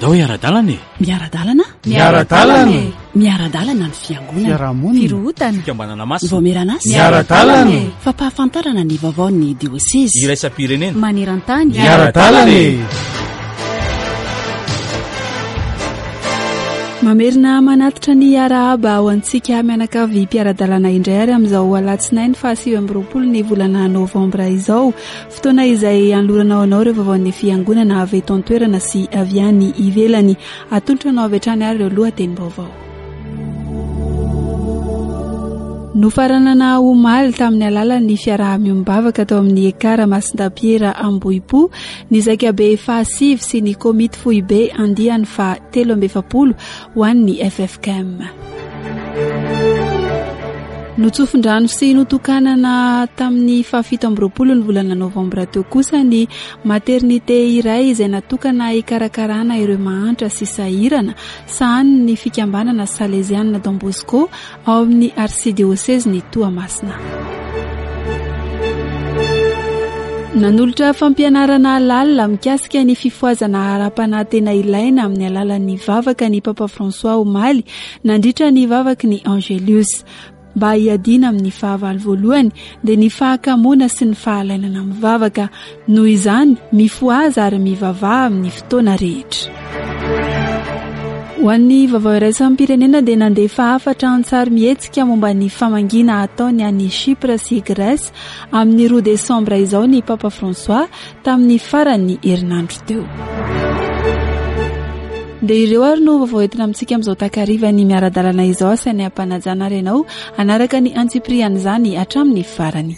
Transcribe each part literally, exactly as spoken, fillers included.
Andao hiara-dalana e! Miara-dalana? Miara-dalana e! Miara-dalana ny fiangonana. Fiarahamonina. Firohotana. Fikambanana masina. Vaomieran'asa. Miara-dalana e! Fampahafantarana ny vaovaon'ny diosezy. Iraisam-pirenena. Maneran-tany. Miara-dalana e! Mamerina manatitra ny arahaba ho antsika mianakavy mpiara-dalana indray ary amin'izao alatsinainy fahasivy amby roapolo ny volana novambra izao, fotoana izay anolorana ho anao ireo vaovaon'ny fiangonana avy eto an-toerana sy avy any ivelany. Atolotra anao avy hatrany ary ireo lohatenim-baovao. Nofaranana omaly tamin'ny alalan'ny fiaraha-miombavaka tao amin'ny Ekara Masindapiera Ambohipo ny zaikabe fahasivy sy ny komity foibe andiany faha telo amby efapolo ho an'ny F F K M. Notsofin-drano sy notokanana tamin'ny fahafito amby roapolo ny volana novambra teo kosa ny maternité iray izay natokana hikarakarana ireo mahantra sy sahirana sahanin'ny fikambanana Salesiana Don Bosco ao amin'ny arsidiôsezin'i Toamasina. Nanolotra fampianarana lalina mikasika ny fifohazana ara-panahy tena ilaina amin'ny alalan'ny vavaka ny Papa François omaly nandritra ny vavaky ny Angelus. Mba hiadiana amin'ny fahavalo voalohany dia ny fahakamoana sy ny fahalainana mivavaka. Noho izany, mifohaza ary mivavaha amin'ny fotoana rehetra. Ho an'ny vaovao iraisam-pirenena dia nandefa hafatra an-tsary mihetsika momba ny famangiana ataony any Chypre sy Grèce amin'ny roa desambra izao ny Papa François tamin'ny faran'ny herinandro teo. Dia ireo ary no vaovao entina amintsika amin'izao takariva ny miara-dalana izao. Asaina hampanajana ary ianao hanaraka ny antsipirian'izany hatramin'ny farany.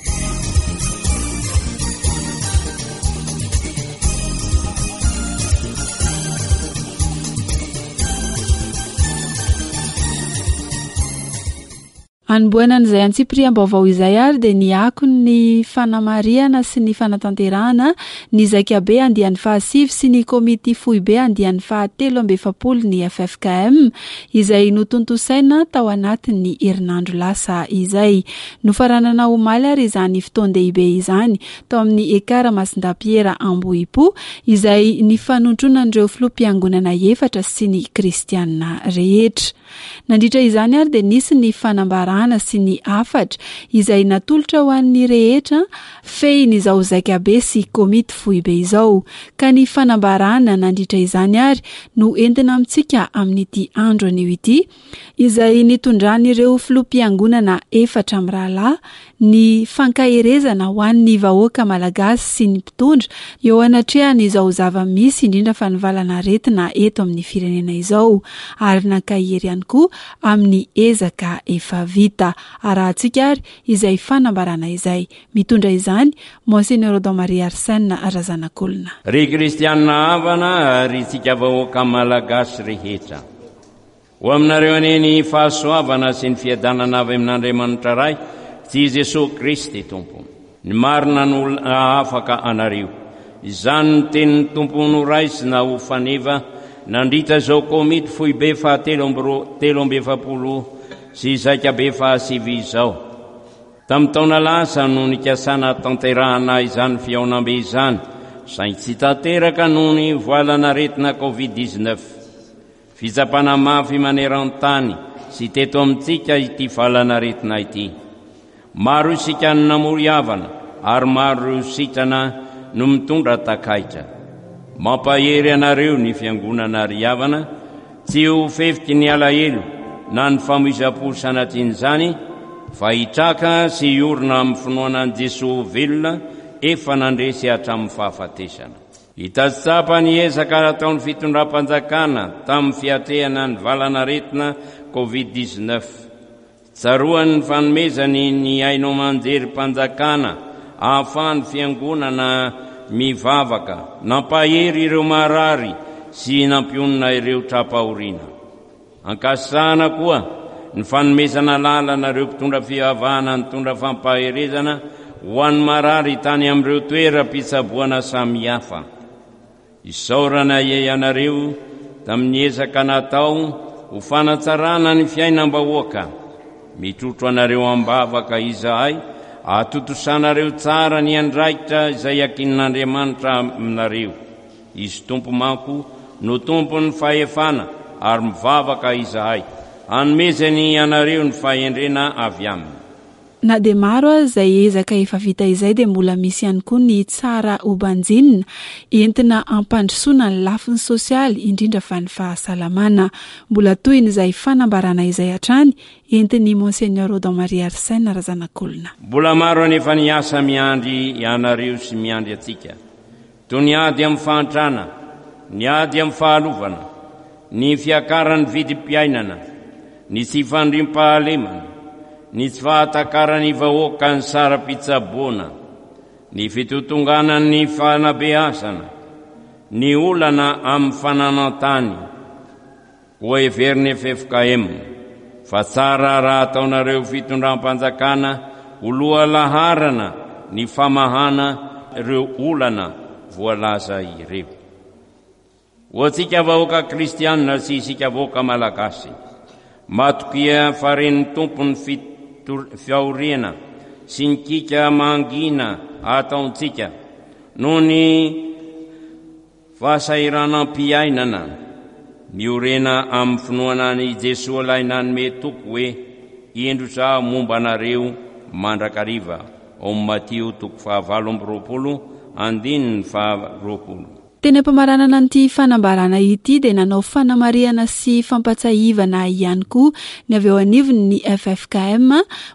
Anombohana an'izay antsipiriam-baovao izay ary dia ny akon'ny fanamarihana sy ny fanatanterahana ny zaikabe andiany fahasivy sy ny komity foibe andiany fahatelo amby efapolo ny F F K M izay notontosaina tao anatin'ny herinandro lasa izay. Nofaranana omaly ary izany fotoan-dehibe izany tao amin'ny Ekara Masindapiera Ambohipo izay nifanotronan'ireo filoham-piangonana efatra sy ny kristianina rehetra. Nandritra izany ary dia nisy ny fanambarana sy ny hafatra izay natolotra ho an'ny rehetra fehin'izao zaikabe sy komity foibe izao. Ka ny fanambarana nandritra izany ary no entina amintsika amin'ity andro anio ity, izay nitondran'ireo filoham-piangonana efatra mirahalahy ny fankaherezana ho an'ny vahoaka malagasy sy ny mpitondra eo anatrehan'izao zava-misy indrindra fa ny valanaretina eto amin'ny firenena izao, ary nankahery ihany koa amin'ny ezaka efa vita. Arahantsika ary izay fanambarana izay. Mitondra izany Monseigneur Odon Marie Arsène Razanakolona. Ry kristianina havana ary tsika vahoaka malagasy rehetra, ho aminareo anie ny fahasoavana sy ny fiadanana avy amin'Andriamanitra Ray sy Jesoa Kristy Tompo. Ny marina no afaka anareo. Izany ny tenin'ny Tompo noraisina ho faneva nandritra izao komity foibe fahatelo amby roa, telo amby efapolo sy zaikabe fahasivy izao. Tamin'ny taona lasa no nikasana tanterahana izany fihaonambe izany, saingy tsy tanteraka noho ny valanaretina covid dix-neuf. Fitsapana mafy maneran-tany sy teto amintsika ity valanaretina ity. Maro isika no namory havana ary maro ireo sitrana no mitondra takaitra. Mampahery anareo ny fiangonana ry havana, tsy ho fefiky ny alahelo na ny famoizam-po sanatrian'izany, fa hitraka sy hiorina amin'ny finoana an'i Jesoa velona efa nandresy hatramin'ny fahafatesana. Hitatsapa ny ezaka nataon'ny fitondram-panjakana tamin'ny fiatrehana ny valanaretina covid dix-neuf. Tsaroan'ny fanomezany ny haino aman-jerim-panjakana ahafahan'ny fiangonana mivavaka, nampahery ireo marary sy nampionona ireo tra-pahoriana. Ankasitrahana koa ny fanomezana lalana ireo mpitondra fivavahana nitondra fampaherezana ho an'ny marary tany amin'ireo toeram-pitsaboana samihafa. Isaorana ianareo tamin'ny ezaka natao ho fanatsarana ny fiainam-bahoaka. Mitrotro anareo am-bavaka izahay, ahatontosanareo tsara ny andraikitra izay ankinin'Andriamanitra aminareo. Izy Tompo manko no tompon'ny fahefana ary mivavaka izahay hanomezany anareo ny fahendrena avy aminy. Na dia maro aza izay ezaka efa vita izay dia mbola misy ihany koa ny tsara hobanjinina entina ampandrosoana ny lafiny sosialy, indrindra fa ny fahasalamana. Mbola tohin'izay fanambarana izay hatrany entin'ny Monseigneur Odon Marie Arsène Razanakolona. Mbola maro anefa ny asa miandry ianareo sy miandry antsika, toy ny ady amin'ny fahantrana, ny ady amin'ny fahalovana, ny fiakaran'ny vidim-piainana, ny tsy fandriampahalemana, ny tsy fahatakarany vahoaka ny saram-pitsaboana, ny fitotonganan'ny fanabeazana, ny olana amin'ny fananan-tany. Koa heverin'ny F F K M fa tsara raha ataonareo fitondram-panjakana ho lohalaharana ny famahana ireo olana voalaza ireo. Ho antsika vahoaka kristianina sy isika vahoaka malagasy, matokia fa ren'ny Tompo ny fahoriana sy ny kiaka mangina ataontsika noho ny fahasahiranam-piainana. Miorena amin'ny finoana an'i Jesoa ilay nanome toky hoe: "Indro zaho momba anareo mandrakariva", ao Matio toko fahavalo amby roapolo andininy faharoapolo. Teny am-pamaranana an'ity fanambarana ity dia nanao fanamarihana sy fampatsahivana ihany koa ny avy eo anivony ny F F K M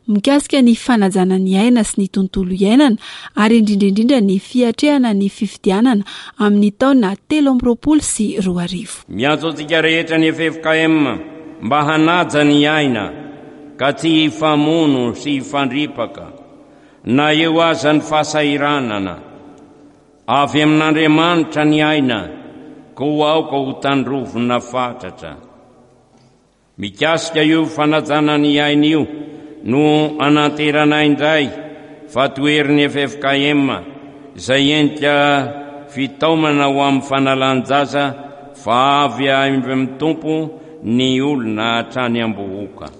mikasika ny fanajana ny aina sy ny tontolo iainana ary indrindraindrindra ny fiatrehana ny fifidianana amin'ny taona telo amby roapolo sy roa arivo. Miantso antsika rehetra ny F F K M mba hanaja ny aina ka tsy hifamono sy hifandripaka na eo aza ny fahasahiranana. Avy amin'Andriamanitra ny aina, koa aoka ho tandrovina fatratra. Mikasika io fanajana ny aina io no ananterana indray fa toherin'ny F F K M izay endrika fitaomana ho amin'ny fanalan-jaza fa avy amin'ny Tompo ny olona hatrany am-bohoka.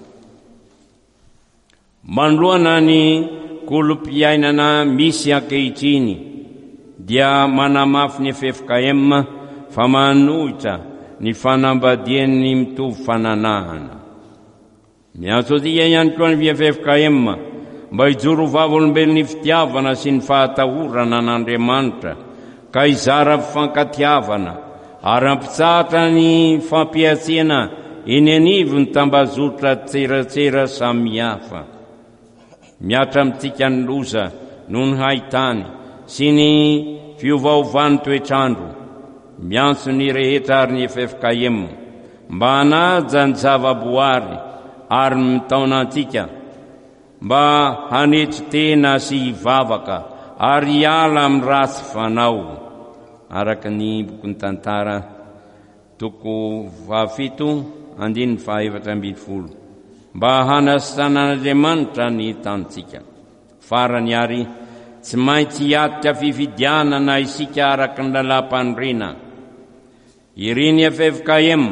Manoloana ny kolom-piainana misy ankehitriny dia manamafy ny F F K M fa manohitra ny fanambadian'ny mitovy fananahana. Miantso antsika ihany koa ny F F K M mba hijoro vavolombelon'ny fitiavana sy ny fahatahorana an'Andriamanitra ka hizara fifankatiavana ary hampitsahatra ny fampihantsiana eny anivo ny tambazotra tseratsera samihafa. Mihatra amintsika ny loza noho ny haitany sy ny fiovaovan'ny toetrandro. Miantso ny rehetra ary ny F F K M mba hanaja ny zavaboary ary mitaona antsika mba hanetry tena sy hivavaka ary hiala amin'ny ratsy fanao, araka ny bokin'ny Tantara toko fahafito andininy fahaefatra ambin'ny folo, mba hanasitranan'Andriamanitra ny tanintsika. Farany ary, tsy maintsy hiatrika fifidianana isika araka ny lalàm-panorenana. Irin'ny F F K M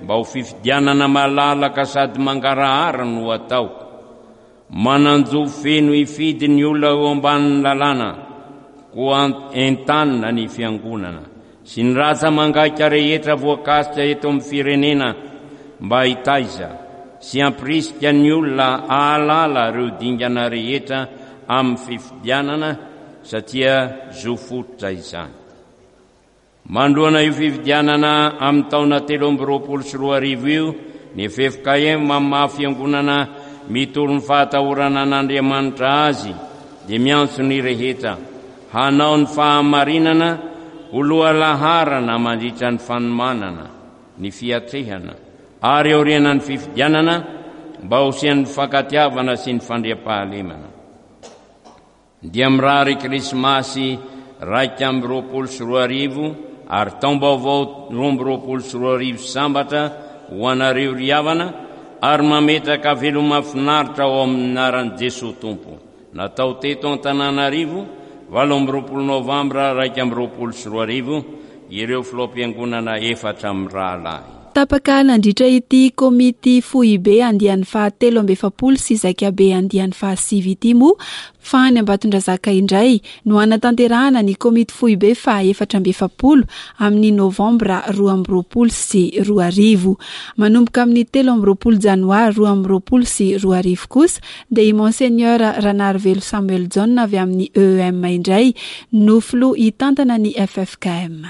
mba ho fifidianana malalaka sady mangarahara no atao. Manan-jo feno hifidy ny olona eo ambanin'ny lalàna, koa entanina ny fiangonana sy ny rantsa-mangaika rehetra voakasika eto amin'ny firenena mba hitaiza sy hampirisika ny olona ahalala ireo dingana rehetra amin'ny fifidianana satria zo fototra izany. Manoloana io fifidianana amin'ny taona telo amby roapolo sy roa arivo io, ny F F K M amin'ny maha fiangonana mitory ny fahatahorana an'Andriamanitra azy dia miantso ny rehetra hanao ny fahamarinana ho lohalaharana mandritra ny fanomanana ny fiatrehana ary aoriana ny fifidianana mba ho hisian'ny fifankatiavana sy ny fandriampahalemana. Dia mirary Krismasy raika amby roapolo sy roa arivo ary taom-baovao roa amby roapolo sy roa arivo sambatra ho anareo ry havana ary mametraka veloma finaritra ao amin'ny anaran'i Jesosy Tompo. Natao teto Antananarivo, valo amby roapolo novambra raika amby roapolo sy roa arivo, ireo filoham-piangonana efatra amin'ny rahalahy. Tapaka nandritra ity komity foibe andiany fahatelo amby efapolo sy zaikabe andiany fahasivy ity moa fa any Ambatondrazaka indray no hanatanterahana ny komity foibe fahaefatra amby efapolo amin'ny novambra roa amby roapolo sy roa arivo. Manomboka amin'ny telo amby roapolo janoary roa amby roapolo sy roa arivo kosa dia i Monseigneur Ranarivelo Samuel Jaona avy amin'ny E E M indray no filoha hitantana ny F F K M.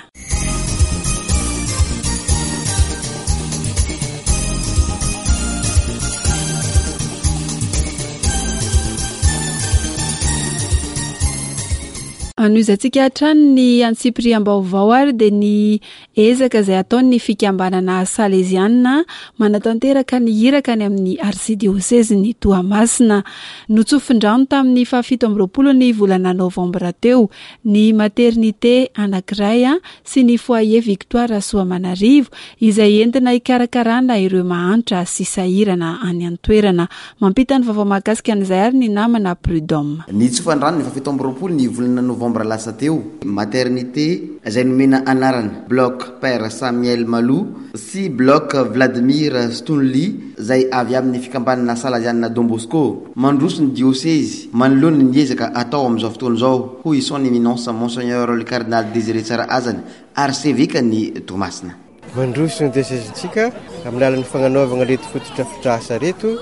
Anohizantsika hatrany ny antsipiriam-baovao ary dia ny ezaka izay ataon'ny fikambanana Saleziana manatanteraka ny iraka any amin'ny arsidiosezin'ny Toamasina. Notsofin-drano tamin'ny fahafito amby roapolo ny volana novambra teo ny maternité anankiray sy ny foyer Victoire Soamanarivo izay entina hikarakarana ireo mahantra sy sahirana any an-toerana. Mampita ny vaovao mahakasika an'izay ary ny namana Prud'homme. Ny tsofan-drano ny fahafito amby roapolo ny volana novambra lasa teo, maternité izay nomena anarana bloc Père Samuel Malou sy bloc Vladimir Stonely izay avy amin'ny fikambanana Salesiana Don Bosco. Mandroso ny diocèse manoloana ny ezaka atao amin'izao fotoana izao, hoy son éminence Monseigneur le Cardinal Désiré Tsarahazana, archevêque ny Toamasina. Mandroso ny diocèse-ntsika amin'ny alalan'ny fagnanaovana reto fotodrafitrasa reto,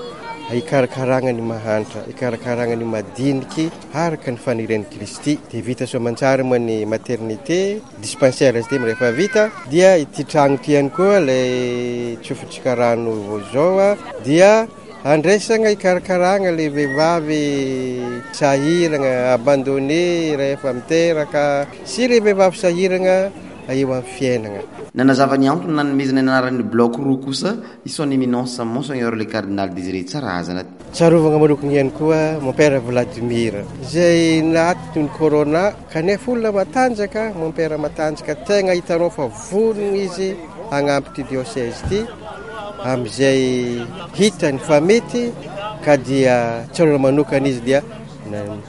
hikarakarana ny mahantra, hikarakarana ny madiniky araka ny fanirian'i Kristy. Dia vita soamantsara moa ny maternité, dispensaire izy ity rehefa vita, dia ity trano ity ihany koa ilay tsofotsika rano vao izao a, dia andraisana hikarakarana ilay vehivavy sahirana, abandonné rehefa miteraka, sy ilay vehivavy sahirana eo amin'ny fiainana. Nanazava ny antony nanomezana ny anaran'ny bloc roa kosa i son éminence Monseigneur le Cardinal Désiré Tsarahazana. Tsarovana manokana ihany koa mon père Vladimir izay naty ny corona, kanefa olona matanjaka, mon père matanjaka, tegna hitanao fa vonona izy hagnampy ity diocèse ity amin'izay hitany fa mety, ka dia tsarovana manokana izy dia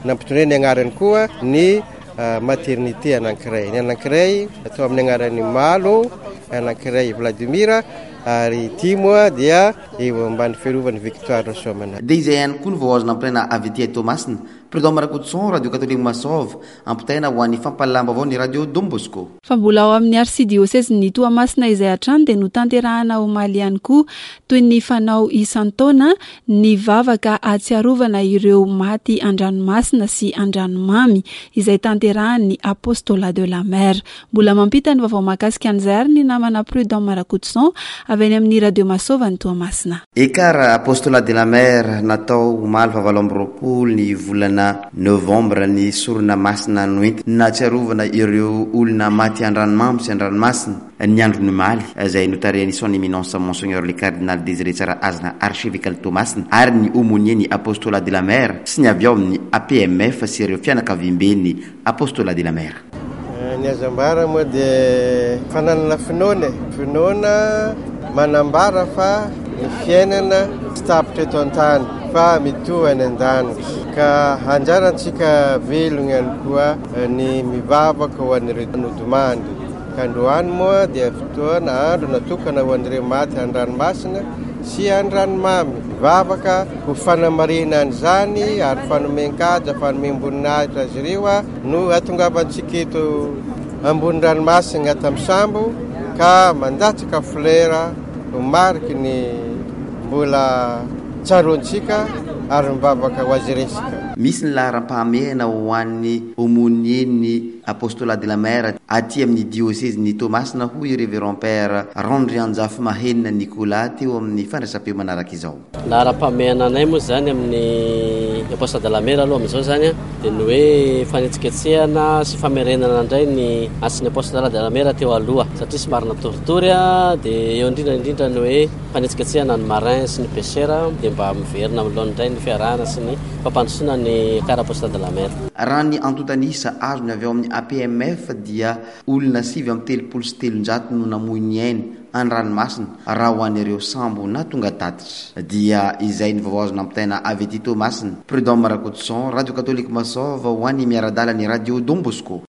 nampitondrainy ny anarany koa ny maternité anankiray. Ny anankiray atao amin'ny anaran'ny Malo, ny anankiray Vladimir, ary ity moa dia eo ambany fiarovan'ny Victoire Soamanarivo. Dia izay ihany koa no vao azo nampitaina avy aty Toamasina. Prud'homme Rakotoson, Radio Catholique Masova, ampitaina ho an'ny fampahalalam-baovao ny Radio Don Bosco. Fa mbola ao amin'ny arsidiosezin'ny Toamasina izay hatrany dia notanterahana omaly ihany koa toy ny fanao isan-taona ny vavaka ahatsiarovana ireo maty an-dranomasina sy an-dranomamy izay tanterahan'ny Apostolat de la Mer. Mbola mampita ny vaovao mahakasika an'izay ary ny namana Prud'homme Rakotoson avy any amin'ny Radio Masova ny Toamasina. Ekar Apostolat de la Mer natao omaly fahavalo amby roapolo ny volana novambra ny sorona masina noentina nahatsiarovana ireo olona maty an-dranomamy sy an-dranomasina ny andro omaly izay notarihan'ny son éminence Monseigneur le Cardinal Désiré Tsarahazana archevêque Toamasina ary ny aumônier ny Apostolat de la Mer sy ny avy ao amin'ny A P M F sy ireo fianakaviamben'ny Apostolat de la Mer. Ny azo ambara moa dia fananana finoana e. Finoana manambara fa ny fiainana tsy tapitra eto an-tany fa mitohy any an-danitra, ka anjarantsika velona ihany koa ny mivavaka ho an'ireo nodimandry. Ka androany moa dia fotoana andro natokana ho an'ireo maty an-dranomasina sy an-dranomamy. Mivavaka ho fanamarihana an'izany ary fanomen-kaja, fanomem-boninahitra azy ireo a, no hatongavantsika eto ambony ranomasina ato amin'ny sambo ka mandatsaka flera ho mariky ny mbola tsaroantsika ary mivavaka ho azy resika. Misy ny laharam-pahamehana ho an'ny aumônier ny Apostolat de la Mer aty amin'ny diocèse-n'ny Toamasina, hoy Révérend Père Randrianjafimahenina Nicolas teo amin'ny fandraisam-peo manaraka izao. Laharam-pahamehana anay moa zany amin'ny Apostolat de la Mer aloha amin'izao zany a, dia ny hoe fanetsiketsehana sy famerenana indray ny asin'ny Apostolat de la Mer teo aloha, satria somary natoritory a, dia eo indrindra indrindra ny hoe fanetsiketsehana ny marin sy ny pêcheur, dia mba miverina amin'ny laoniny indray ny fiarahana sy ny fampandrosoana ny Ekar Apostolat de la Mer. Raha ny antontan'isa azony avy ao amin'ny A P M F dia olona sivy amby telopolo sy telonjato no namoy ny ainy an-dranomasina raha ho an'ireo sambo na tonga tatitra. Dia izay ny vaovao azo nampitaina avy aty Toamasina. Prud'homme Rakotoson, Radio Catholique Masova ho an'ny miara-dalana ny Radio Don Bosco.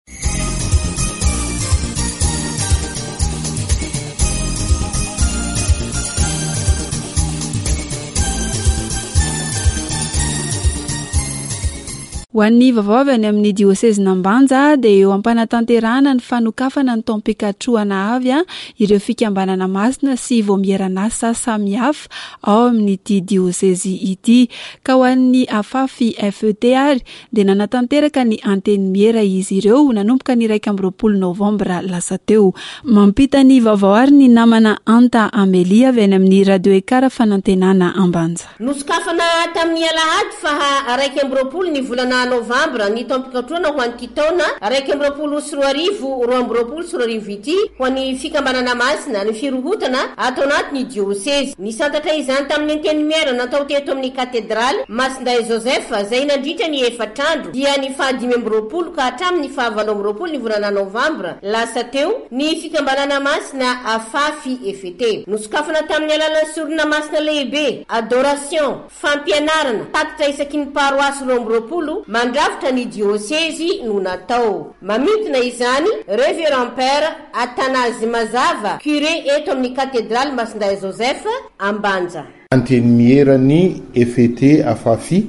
Ho an'ny vaovao avy any amin'ny diosezin'Ambanja dia eo am-panatanterahana ny fanokafana ny taom-pikatrohana avy ireo fikambanana masina sy vaomieran'asa samihafa ao amin'ity diosezy ity. Ka ho an'ny Afafi F E T ary dia nanatanteraka ny antenimiera izy ireo nanomboka ny iraika amby roapolo novambra lasa teo. Mampita ny vaovao ary ny namana Anta Amélie avy any amin'ny Radio Ekara Fanantenana Ambanja. Nosokafana tamin'ny alahady faha iraika amby roapolo ny volana novambra ny taom-pikatrohana ho an'ity taona iraika amby roapolo sy roa arivo roa amby roapolo sy roa arivo ity ho an'ny fikambanana masina ny firohotana ato anatin'ny diosezy. Nisantatra izany tamin'ny antenimiera natao teto amin'ny katedraly Masindahy Joseph izay nandritra ny efatra andro dia ny fahadimy amby roapolo ka hatramin'ny fahavalo amby roapolo ny volana novambra lasa teo ny fikambanana masina Afafi F E T. Nosokafana tamin'ny alalan'ny sorona masina lehibe, adoration, fampianarana, tatitra isaky ny paroasy roa amby roapolo mandrafitra ny diosezy no natao. Mamintina izany Révérend Père Athanase Mazava, curé eto amin'ny katedraly Masindahy Joseph Ambanja. Antenimieran'ny F E T Afafi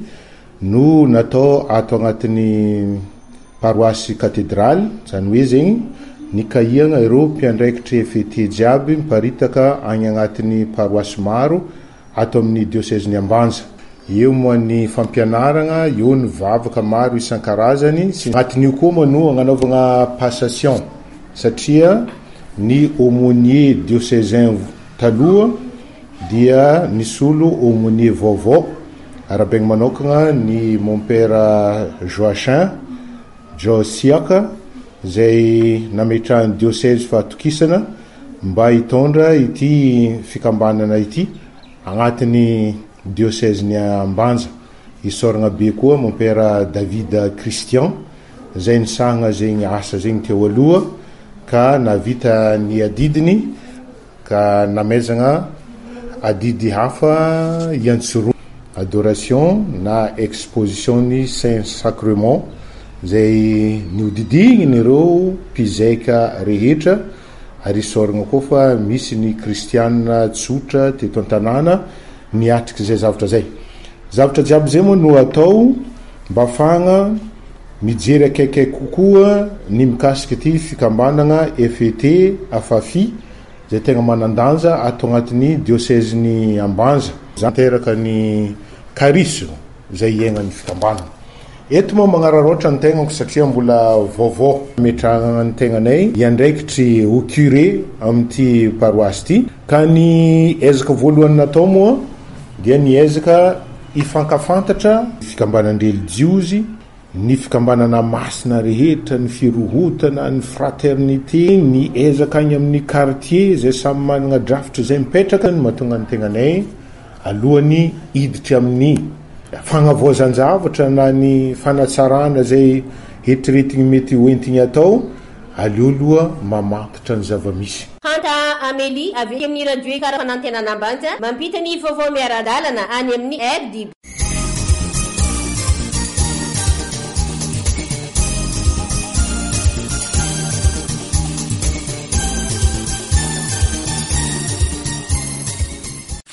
no natao ato agnatin'ny paroasy katedraly, zany hoe zegny nikahiana ireo mpiandraikitra F E T jiaby miparitaka agny agnatin'ny paroasy maro ato amin'ny diosezin'i Ambanja. Eo moa ny fampianarana, eo ny vavaka maro isan-karazany. Sy agnatin'io koa moa no agnanaovana passation satria ny aumônier diocésain taloha dia nisolo aumônier vaovao. Arahabaina manokana ny mon père Joachim Josiaka izay nametrahan'ny diocèse fahatokisana mba hitondra ity fikambanana ity agnatin'ny diocèse-ny Ambanja. Isaorana be koa mon père David Christian izay nisahana zegny asa zegny teo aloha ka navita ny adidiny ka namezana adidy hafa iantsoroa adoration na exposition ny Saint Sacrement izay niodidigniny ireo mpizaika rehetra. Ary isaorana koa fa misy ny kristianina tsotra teto an-tanàna niatrika izay zavatra izay. Zavatra jiaby izay moa no atao mba ahafahana mijery akaikaiky kokoa ny mikasika ity fikambanana F E T Afafi izay tegna manan-danja ato agnatin'ny diosezin'i Ambanja. Tanteraka ny charisme izay iainan'ny fikambanana. Eto moa magnararaotra ny tegnako satria mbola vaovao ametrahana ny tegnanay hiandraikitry ho curé amin'ity paroasy ity. Ka ny ezaka voalohany natao moa dia ny ezaka hifankafantatra fikambanan-drelijiozy, ny fikambanana masina rehetra, ny firohotana, ny fraternité, ny ezaka any amin'ny quartier izay samy manana drafitra izay mipetraka no mahatonga ny tegnanay alohan'ny hiditra amin'ny fagnavoazan-javatra na ny fanatsarana izay eritreretigny mety hoentigny atao, aleo aloha mamantatra ny zava-misy. Hanta Amélie avy amin'ny radio Ekara Fanantenana Ambanja mampita ny vaovao miara-dalana any amin'ny R D B.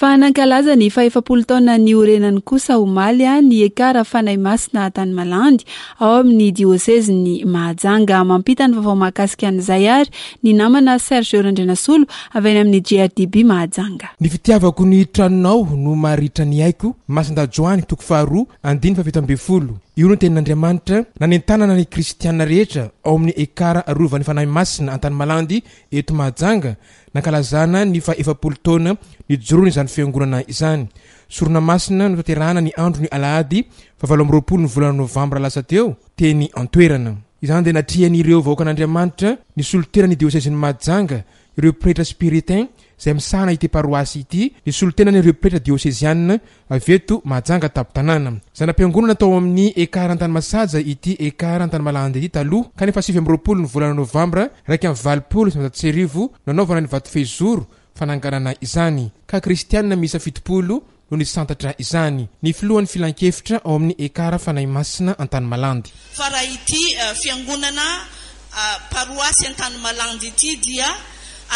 Fa nankalaza ny fahefapolo taona niorenany kosa omaly ny Ekara Fanahy Masina Antanimalandy ao amin'ny diosezin'i Mahajanga. Mampita ny vaovao mahakasika an'izay ary ny namana Serge Randrianasolo avy any amin'ny G R D B Mahajanga. Ny fitiavako ny tranonao no maharitra ny aiko, Masindahy Joany toko faharoa andininy fahafito ambin'ny folo. Io no tenin'Andriamanitra nanentanana ny kristiana rehetra ao amin'ny Ekara Rovan'ny Fanahy Masina Antanimalandy eto Mahajanga, nankalazana ny fahefapolo taona nijoroany izany fiangonana izany. Sorona masina notanterahana ny andro ny alahady fahavalo amby roapolo ny volana novambra lasa teo teny an-toerana. Izany dia natrian'ireo vahoakan'Andriamanitra ny solotenan'ny diosezin'i Mahajanga, ireo pretra spiritain izay misahana ity paroasy ity, ny solotenan'ireo pretra diosezianina avy eto Mahajanga tampon-tanàna. Zana-piangonana tao amin'ny Ekara Antanimasaja ity Ekara Antanimalandy ity taloha, kanefa sivy amby roapolo ny volana novambra iraika amby valopolo sy sivinjato sy arivo nanaovana ny vatofehizoro fananganana izany, ka kristianina miisa fitopolo no nisantatra izany. Ny filohan'ny filankevitra ao amin'ny Ekara Fanahy Masina Antanimalandy. Fa raha ity, eh, fiangonana, eh, paroasy Antanimalandy ity dia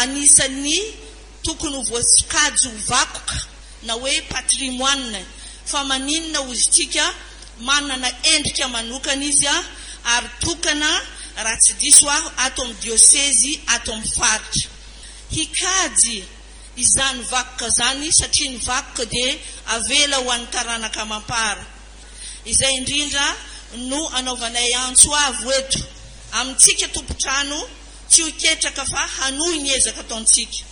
anisan'ny tokony ho voasokajy ho vakoka na hoe patrimoine, fa maninona hozy tsika Manana endrika manokana izy ary tokana, raha tsy diso aho, ato amin'ny diosezy, ato amin'ny faritra. Hikajy izany vakoka izany satria ny vakoka dia avela ho an'ny taranaka amam-para. Izay indrindra no anaovanay antso avo eto amintsika tompon-trano tsy ho ketraka fa hanohy ny ezaka ataontsika.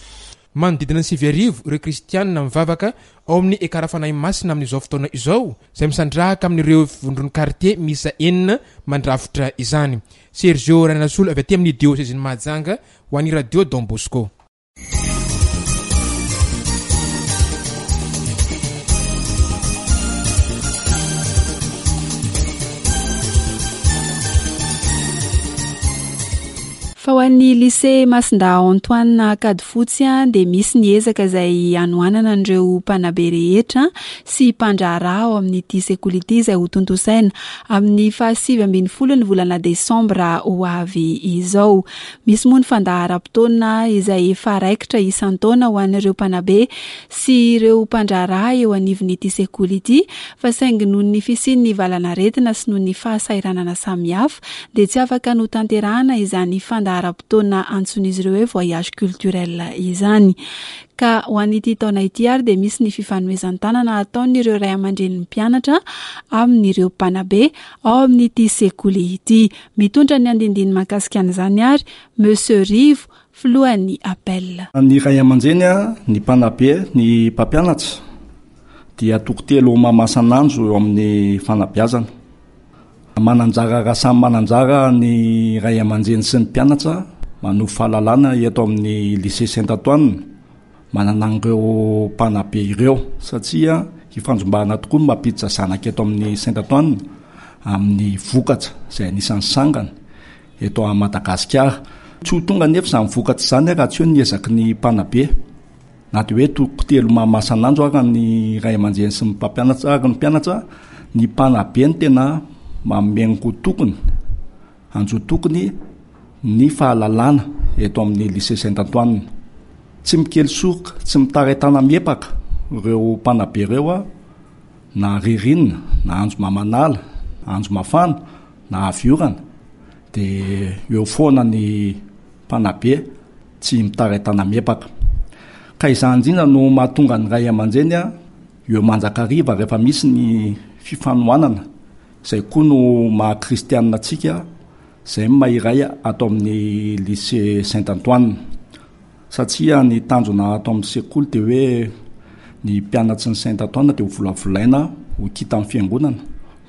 Manodidina ny sivy arivo ireo kristianina mivavaka ao amin'ny Ekara Fanahy Masina amin'izao fotoana izao, izay misandrahaka amin'ireo vondron'ny kartie miisa enina mandrafitra izany. Sergio Rainasolo avy aty amin'ny diosezin'i Mahajanga ho an'ny Radio Don Bosco. Fa ho an'ny lycée Masindahy Antoine Ankadifotsy dia misy ny ezaka izay hanohanana an'ireo mpanabe rehetra sy mpandraharaha ao amin'ity sekoly ity izay ho tontosaina amin'ny fahasivy ambin'ny folo ny volana desambra ho avy izao. Misy moa ny fandaharam-potoana izay efa raikitra isan-taona ho an'ireo mpanabe sy ireo mpandraharaha eo anivon'ity sekoly ity, fa saingy noho ny fisian'ny valanaretina sy noho ny fahasahiranana samihafa dia tsy afaka notanterahana izany fandaharam-potoana antsoin'izy ireo hoe voyage culturel izany. Ka ho an'ity taona ity ary dia misy ny fifanomezan-tanana ataon'ireo ray aman-drenin'ny mpianatra amin'ireo mpanabe ao amin'ity sekoly ity. Mitondra ny andindiny mahakasika an'izany ary Monsieur Rivo, filohan'ny appel. Ny ray aman-dreny, ny mpanabe, ny mpampianatra dia toko telo mamasan'andro eo amin'ny fanabeazana. Mananjara raha samy mananjara ny ray aman-dreny sy ny mpianatra manovo fahalalana eto amin'ny lycée Saint Antoine, manana an'ireo mpanabe ireo satria ifandrombahana tokoa ny mampiditra zanaka eto amin'ny Saint Antoine amin'ny vokatra izay anisan'ny sangany eto Madagasikara. Tsy ho tonga nefa izany vokatra izany raha tsy eo ny ezaky ny mpanabe. Na dia hoe toko telo mamasan'andro ary ny ray aman-dreny sy ny mpampianatra ary ny mpianatra, ny mpanabe no tena manome ny tokony, anjo tokony ny fahalalana eto amin'ny lycée Saint Antoine. Tsy mikely soroka, tsy mitaray-tana miepaka ireo mpanabe ireo a, na ririnina, na andro mamanala, andro mafana, na avy orana, dia eo foana ny mpanabe tsy mitaray-tana miepaka. Ka izany indrindra no mahatonga ny ray aman-dreny a, eo mandrakariva rehefa misy ny fifanohanana, izay koa no maha kristianina antsika, izay no maha iray ato amin'ny lycée Saint Antoine. Satria ny tanjona ato amin'ny sekoly dia hoe ny mpianatry ny Saint Antoine dia ho volavolaina ho kitan'ny fiangonana,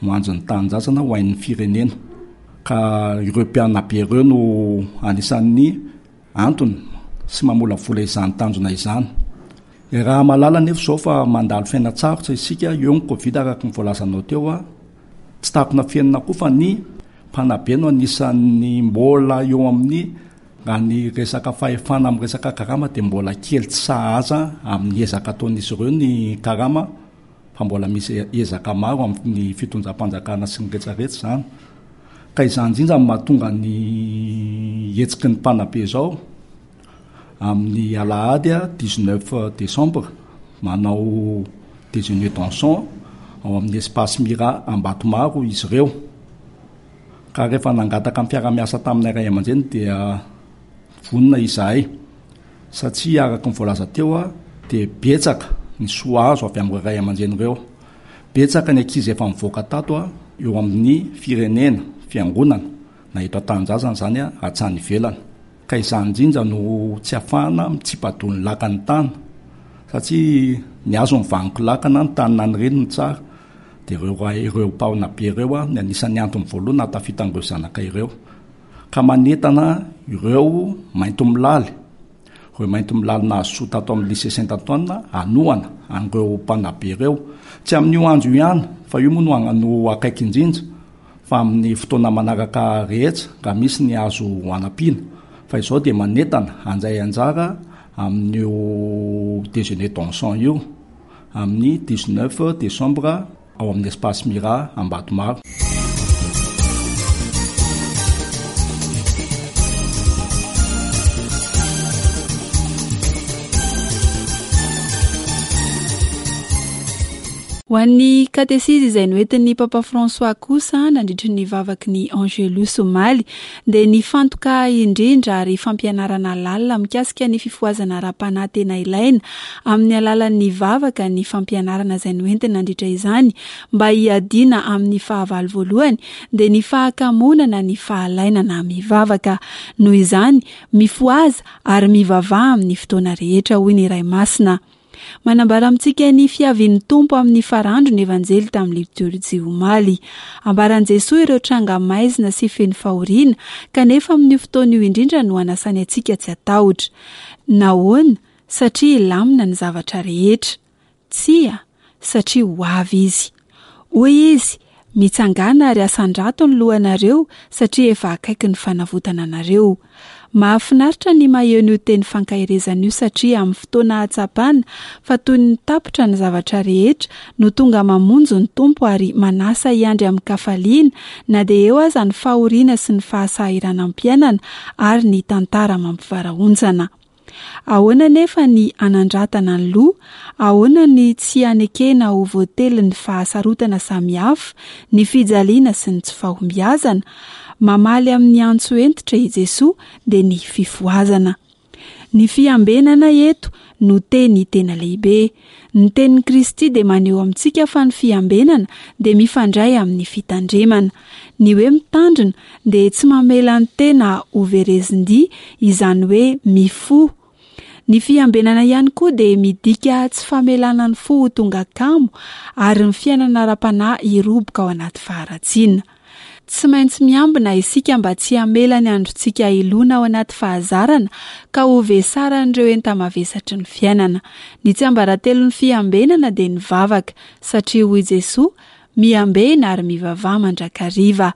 ho anjin'ny tanindrazana, ho hain'ny firenena. Ka ireo mpianabe ireo no anisan'ny antony sy mamolavola izany tanjona izany. Raha mahalala nefa izao fa mandalo fiainan-tsarotra isika, eo ny Covid araka ny voalazanao teo a, tsy takona fiainana koa fa ny mpanabe no anisan'ny mbola eo amin'ny raha ny resaka fahefana amin'ny resaka karama dia mbola kely tsy sahaza amin'ny ezaka ataon'izy ireo ny karama, fa mbola misy ezaka maro amin'ny fitondram-panjakana sy ny rehetrarehetra izany. Ka izany indrindra no mahatonga ny hetsiky ny mpanabe izao amin'ny alahady dix-neuf décembre manao déjeuner dansant ao amin'ny espace Mira Ambatomaro izy ireo. Ka rehefa nangataka ny mpiara-miasa taminay ray aman-dreny dia vonona izahay, satria araka ny voalaza teo a, dia betsaka ny soa azo avy amin'ireo ray aman-dreny ireo. Betsaka ny ankizy efa mivoaka tato a, eo amin'ny firenena, fiangonana, na eto an-tanindrazana izany a, hatrany ivelany. Ka izany indrindra no tsy ahafahana mitsipa-doha ny lakan'ny tany, satria ny azo ny vaniko lakana, ny tany nanireny no tsara. Dia ireo ray, ireo mpanabe ireo a, ny anisan'ny antony voalohany nahatafita an'ireo zanaka ireo. Ka manentana ireo maintomilaly, ireo maintomilaly nahazo soa tato amin'ny lycée Saint Antoine hanohana an'ireo mpanabe ireo. Tsy amin'io andro io ihany, fa io moa no, no akaiky indrindra, fa amin'ny fotoana manaraka rehetra raha misy ny azo hanampiana. Fa izao dia manentana handray anjara amin'io déjeuner dansant io amin'ny dix-neuf décembre ao amin'ny espace Mira Ambatomaro. Ho an'ny katesizy izay noentin'ny Papa François kosa nandritry ny vavaky ny Angelus omaly dia nifantoka indrindra ary fampianarana lalina mikasika ny fifohazana ara-panahy tena ilaina amin'ny alalan'ny vavaka ny fampianarana izay noentina nandritra izany mba hiadiana amin'ny fahavalo voalohany dia ny fahakamonana ny fahalainana mivavaka. Noho izany, mifohaza ary mivavaha amin'ny fotoana rehetra, hoy ny Ray Masina. Manambara amintsika ny fiavian'ny Tompo amin'ny farandro ny Evanjely tamin'ny litorjia omaly. Ambaran'i Jesoa ireo tranga maizina sy feno fahoriana, kanefa amin'io fotoana io indrindra no anasany antsika tsy hatahotra. Nahoana? Satria hilamina ny zavatra rehetra. Tsia, satria ho avy izy. Hoy izy, mitsangàna ary asandrato ny lohanareo satria efa akaiky ny fanavotana anareo. Mahafinaritra ny maheno io teny fankaherezana io satria amin'ny fotoana hahatsapana fa toy ny tapitra ny zavatra rehetra no tonga mamonjy ny Tompo ary manasa hiandry amin'ny kafaliana na dia eo aza ny fahoriana sy ny fahasahiranam-piainana ary ny tantara mampivarahontsana. Ahoana nefa ny anandratana ny loha? Ahoana ny tsy hanekena ho voatelin'ny fahasarotana samihafa, ny fijaliana sy ny tsy fahombiazana? Mamaly amin'ny antso hentitra i Jesoa dia ny fifohazana. Ny fiambenana eto no teny tena lehibe. Ny tenin'i Kristy dia maneho amintsika fa ny fiambenana dia mifandray amin'ny fitandremana. Ny hoe mitandrina dia tsy mamela ny tena ho verezin-dia, izany hoe mifoha. Ny fiambenana ihany koa dia midika tsy famelana ny fo ho tonga kamo ary ny fiainana ara-panahy hiroboka ao anaty faharatsiana. Tsy maintsy miambina isika mba tsy hamela ny androntsika hilona ao anaty fahazarana ka ho vesaran'ireo enta-mavesatry ny fiainana. Ny tsiambaratelon'ny fiambenana dia ny vavaka, satria hoy Jesoa, miambena ary mivavaha mandrakariva.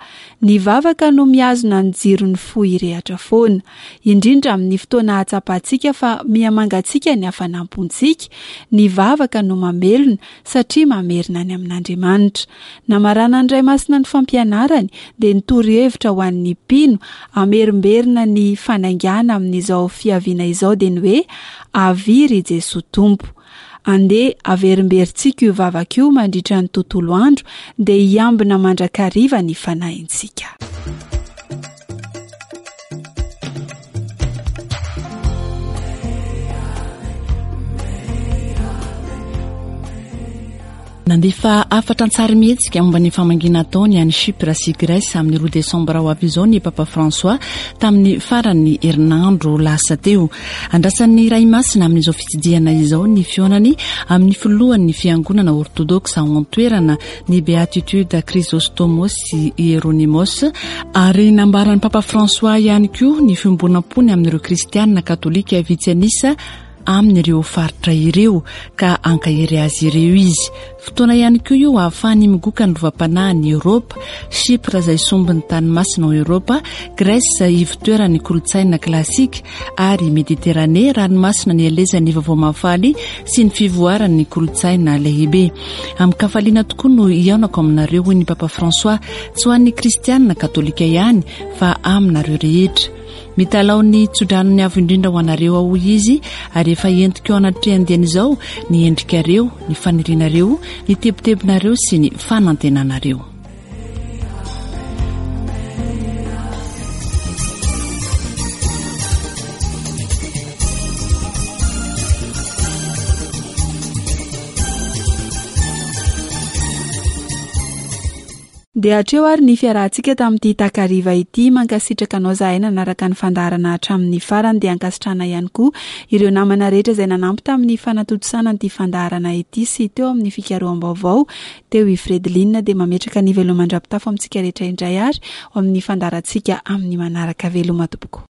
Ny vavaka no mihazona ny jiron'ny fo hirehatra foana, indrindra amin'ny fotoana ahatsapantsika fa mihamangatsiaka ny hafanam-pontsika. Ny vavaka no mamelona satria mamerina any amin'Andriamanitra. Namaranan'ny Ray Masina ny fampianarany dia nitory hevitra ho an'ny mpino hamerimberina ny fanaingana amin'izao fiaviana izao dia ny hoe avia ry Jesoa Tompo. Andeha averimberintsika io vavaka io mandritra ny tontolo andro dia hiambina mandrakariva ny fanahintsika. Nandefa hafatra an-tsarimihetsika momba ny famangiana ataony any Chypre sy Grèce amin'ny roa desambra ho avy izao ny Papa François tamin'ny faran'ny herinandro lasa teo. Andrasan'ny Ray Masina amin'izao fitsidihana izao ny fihaonany amin'ny filohan'ny fiangonana ortodoksa ao an-toerana ny Beatitude Chrysostomos sy Hieronymos, ary nambaran'ny Papa François ihany koa ny fiombonam-pony amin'ireo kristianina katolika vitsy an'isa amin'ireo faritra ireo ka ankahery azy ireo izy. Fotoana ihany koa io ahafahany migoka ny lovam-panahin'i Eoropa, Chypre izay sombin'ny tany masina ao Eoropa, Grèce ivotoeran'ny kolontsaina klasika ary Mediterane ranomasina nielezan'ny vaovao mahafaly sy ny fivoaran'ny kolontsaina lehibe. Amin-kafaliana tokoa no hihaonako aminareo, hoy ny Papa François, tsy ho an'ny kristianina katolika ihany fa aminareo rehetra. Mitalao ny tsodranony avo indrindra ho anareo aho, hoy izy, ary efa entiko eo anatrehan-diany izao ny endrikareo, ny fanirianareo, ny tebitebinareo sy ny fanantenanareo. Dia hatreo ary ny fiarahantsika tamin'ity takariva ity. Mankasitraka anao zahay nanaraka ny fandaharana hatramin'ny farany, dia ankasitrahana ihany koa ireo namana rehetra izay nanampy tamin'ny fanatontosana ity fandaharana ity sy teo amin'ny fikaroham-baovao teo i Fredeline. Dia mametraka ny veloma mandra-pitafo amintsika rehetra indray ary ho amin'ny fandaharantsika amin'ny manaraka. Veloma tompoko.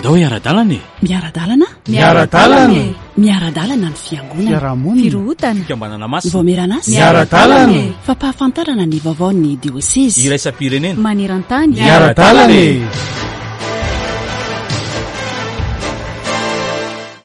Ndao hiara-dalana e. Miara-dalana? Miara-dalana e. Miara-dalana ny fiangonana. Fiarahamonina. Firohotana. Fikambanana masina. Vaomieran'asa. Miara-dalana e. Fampahafantarana ny vaovaon'ny diosezy. Iraisam-pirenena. Maneran-tany. Miara-dalana e.